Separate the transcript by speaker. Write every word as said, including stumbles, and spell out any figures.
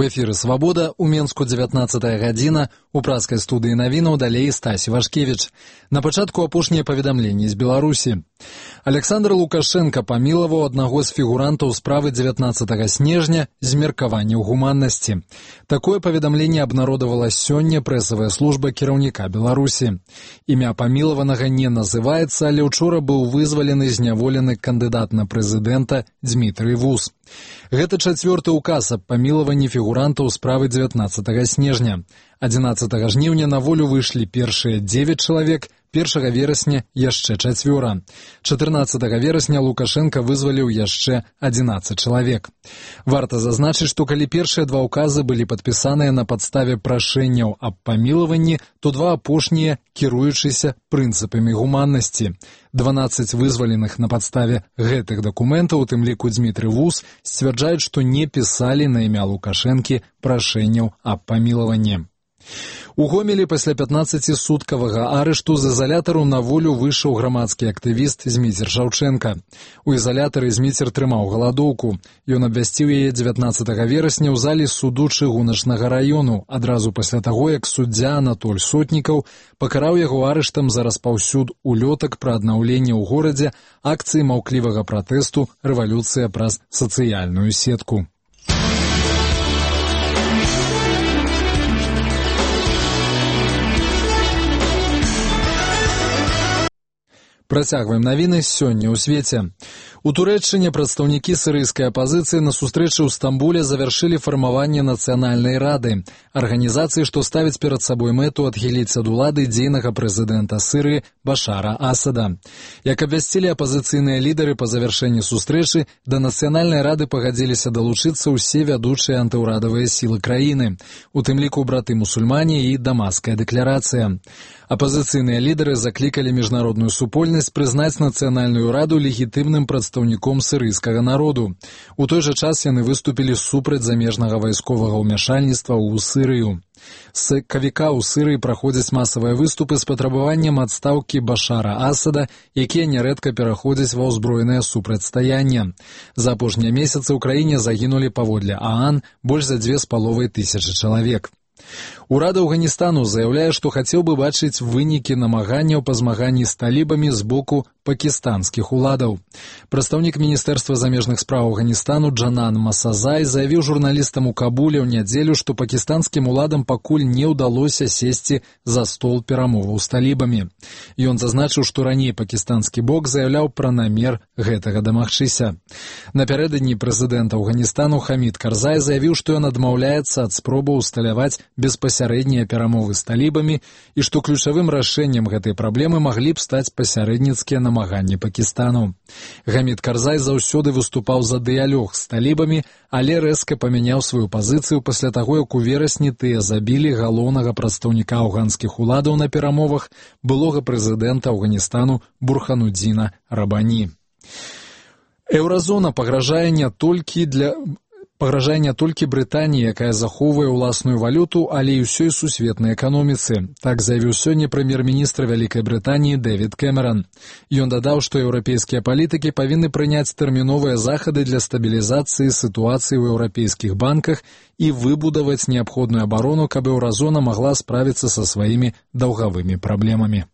Speaker 1: У эфіры «Свабода», у Менску дзевятнаццатая гадзіна, у праскай студыі навінаў далей Стасі Вашкевіч. На пачатку апошнія паведамленні з Беларусі. Александр Лукашенко памілаваў аднаго з фігурантаў справы дзевятнаццатага снежня з меркаванняў гуманнасці. Такое паведамленне абнародавала сёння прэсавая служба кіраўніка Беларусі. Імя памілаванага не называецца, але ўчора быў вызвалены зняволены кандыдат на прэзідэнта Дзмітрый Вус. Гэта чацвёрты указ аб памілаванні фігурантаў справы дзевятнаццатага снежня. адзінаццатага жніўня на волю выйшлі першыя дзевяць чалавек, першага верасня яшчэ чацвёра. чатырнаццатага верасня Лукашенко вызваліў яшчэ адзінаццаць чалавек. Варта зазначыць, што калі першыя два ўказы былі падпісаныя на падставе прашэнняў аб памілаванні, то два апошнія кіруючыся прынцыпамі гуманнасці. дванаццаць вызваленых на падставе гэтых дакументаў, у тым ліку Дзмітрый Вус, сцвярджаюць, што не пісалі на імя Лукашэнкі прашэнняў аб памілаванні. У Гомелі пасля пятнаццацісуткавага арышту з ізалятару на волю выйшаў грамадскі актывіст Зміцер Шаўчэнка. У ізалятары Зміцер трымаў галадоўку. Ён абвясціў яе дзевятнаццатага верасня ў залі суду чыгуначнага раёну, адразу пасля таго, як суддзя Анатоль Сотнікаў пакараў яго арыштам за распаўсюд улётак пра аднаўленне ў горадзе акцыі маўклівага пратэсту «Рэвалюцыя праз сацыяльную сетку». Працягваем навіны сёння ў свеце. У Турэччыне прадстаўнікі сірыйскай апазіцыі на сустрэчы ў Стамбуле завяршылі фармаванне нацыянальнай рады, арганізацыі, што ставіць перад сабой мэту адхіліць ад улады дзейнага прэзідэнта Сірыі Башара Асада. Як абвясцілі апазіцыйныя лідары па завяршэнні сустрэчы, да нацыянальнай рады пагадзіліся далучыцца ўсе вядучыя антыўрадавыя сілы краіны, у тым ліку браты-мусульмане і Дамаская дэкларацыя. Апазіцыйныя лідары заклікалі міжнародную супольнасць прызнаць нацыянальную раду легітымным прадстаўніком сірыйскага народу. У той жа час яны выступілі супраць замежнага вайсковага ўмяшальніцтва ў Сірыю. З сакавіка ў Сірыі праходзяць масавыя выступы з патрабаваннем адстаўкі Башара Асада, якія нярэдка пераходзяць ва ўзброенае супрацьстаянне. За апошнія месяцы ў краіне загінулі паводле ААН больш за дзве з паловай тысячы чалавек. Урад Афганістану заяўляе, што хацеў бы бачыць вынікі намаганняў па змаганні з талібамі з боку пакістанскіх уладаў. Прадстаўнік Міністэрства замежных спраў Афганістану Джанан Масазай заявіў журналістам у Кабуле ў нядзелю, што пакістанскім уладам пакуль не ўдалося сесці за стол перамоваў з талібамі. Ён зазначыў, што раней пакістанскі бок заяўляў пра намер гэтага дамагчыся. Напярэдадні прэзідэнт Афганістану Хамід Карзай заявіў, што ён адмаўляецца ад спробаў усталяваць беспасярэднія перамовы з талібамі і што ключавым рашэннем гэтай праблемы маглі б стаць пасярэдніцкія намаганні Пакістану. Хамід Карзай заўсёды выступаў за дыялог з талібамі, але рэзка памяняў сваю пазіцыю пасля таго, як у верасні тыя забілі галоўнага прадстаўніка афганскіх уладаў на перамовах, былога прэзідэнта Афганістану Бурханудзіна Рабані. Еўразона пагражае не толькі для... Пагражае не толькі Брытаніі, якая захоўвае ўласную валюту, але і ўсёй сусветнай эканоміцы. Так заявіў сёння прэм'ер-міністр Вялікай Брытаніі Дэвід Кэмеран. Ён дадаў, што еўрапейскія палітыкі павінны прыняць тэрміновыя захады для стабілізацыі сітуацыі ў еўрапейскіх банках і выбудаваць неабходную абарону, каб еўразона магла справіцца са сваімі даўгавымі праблемамі.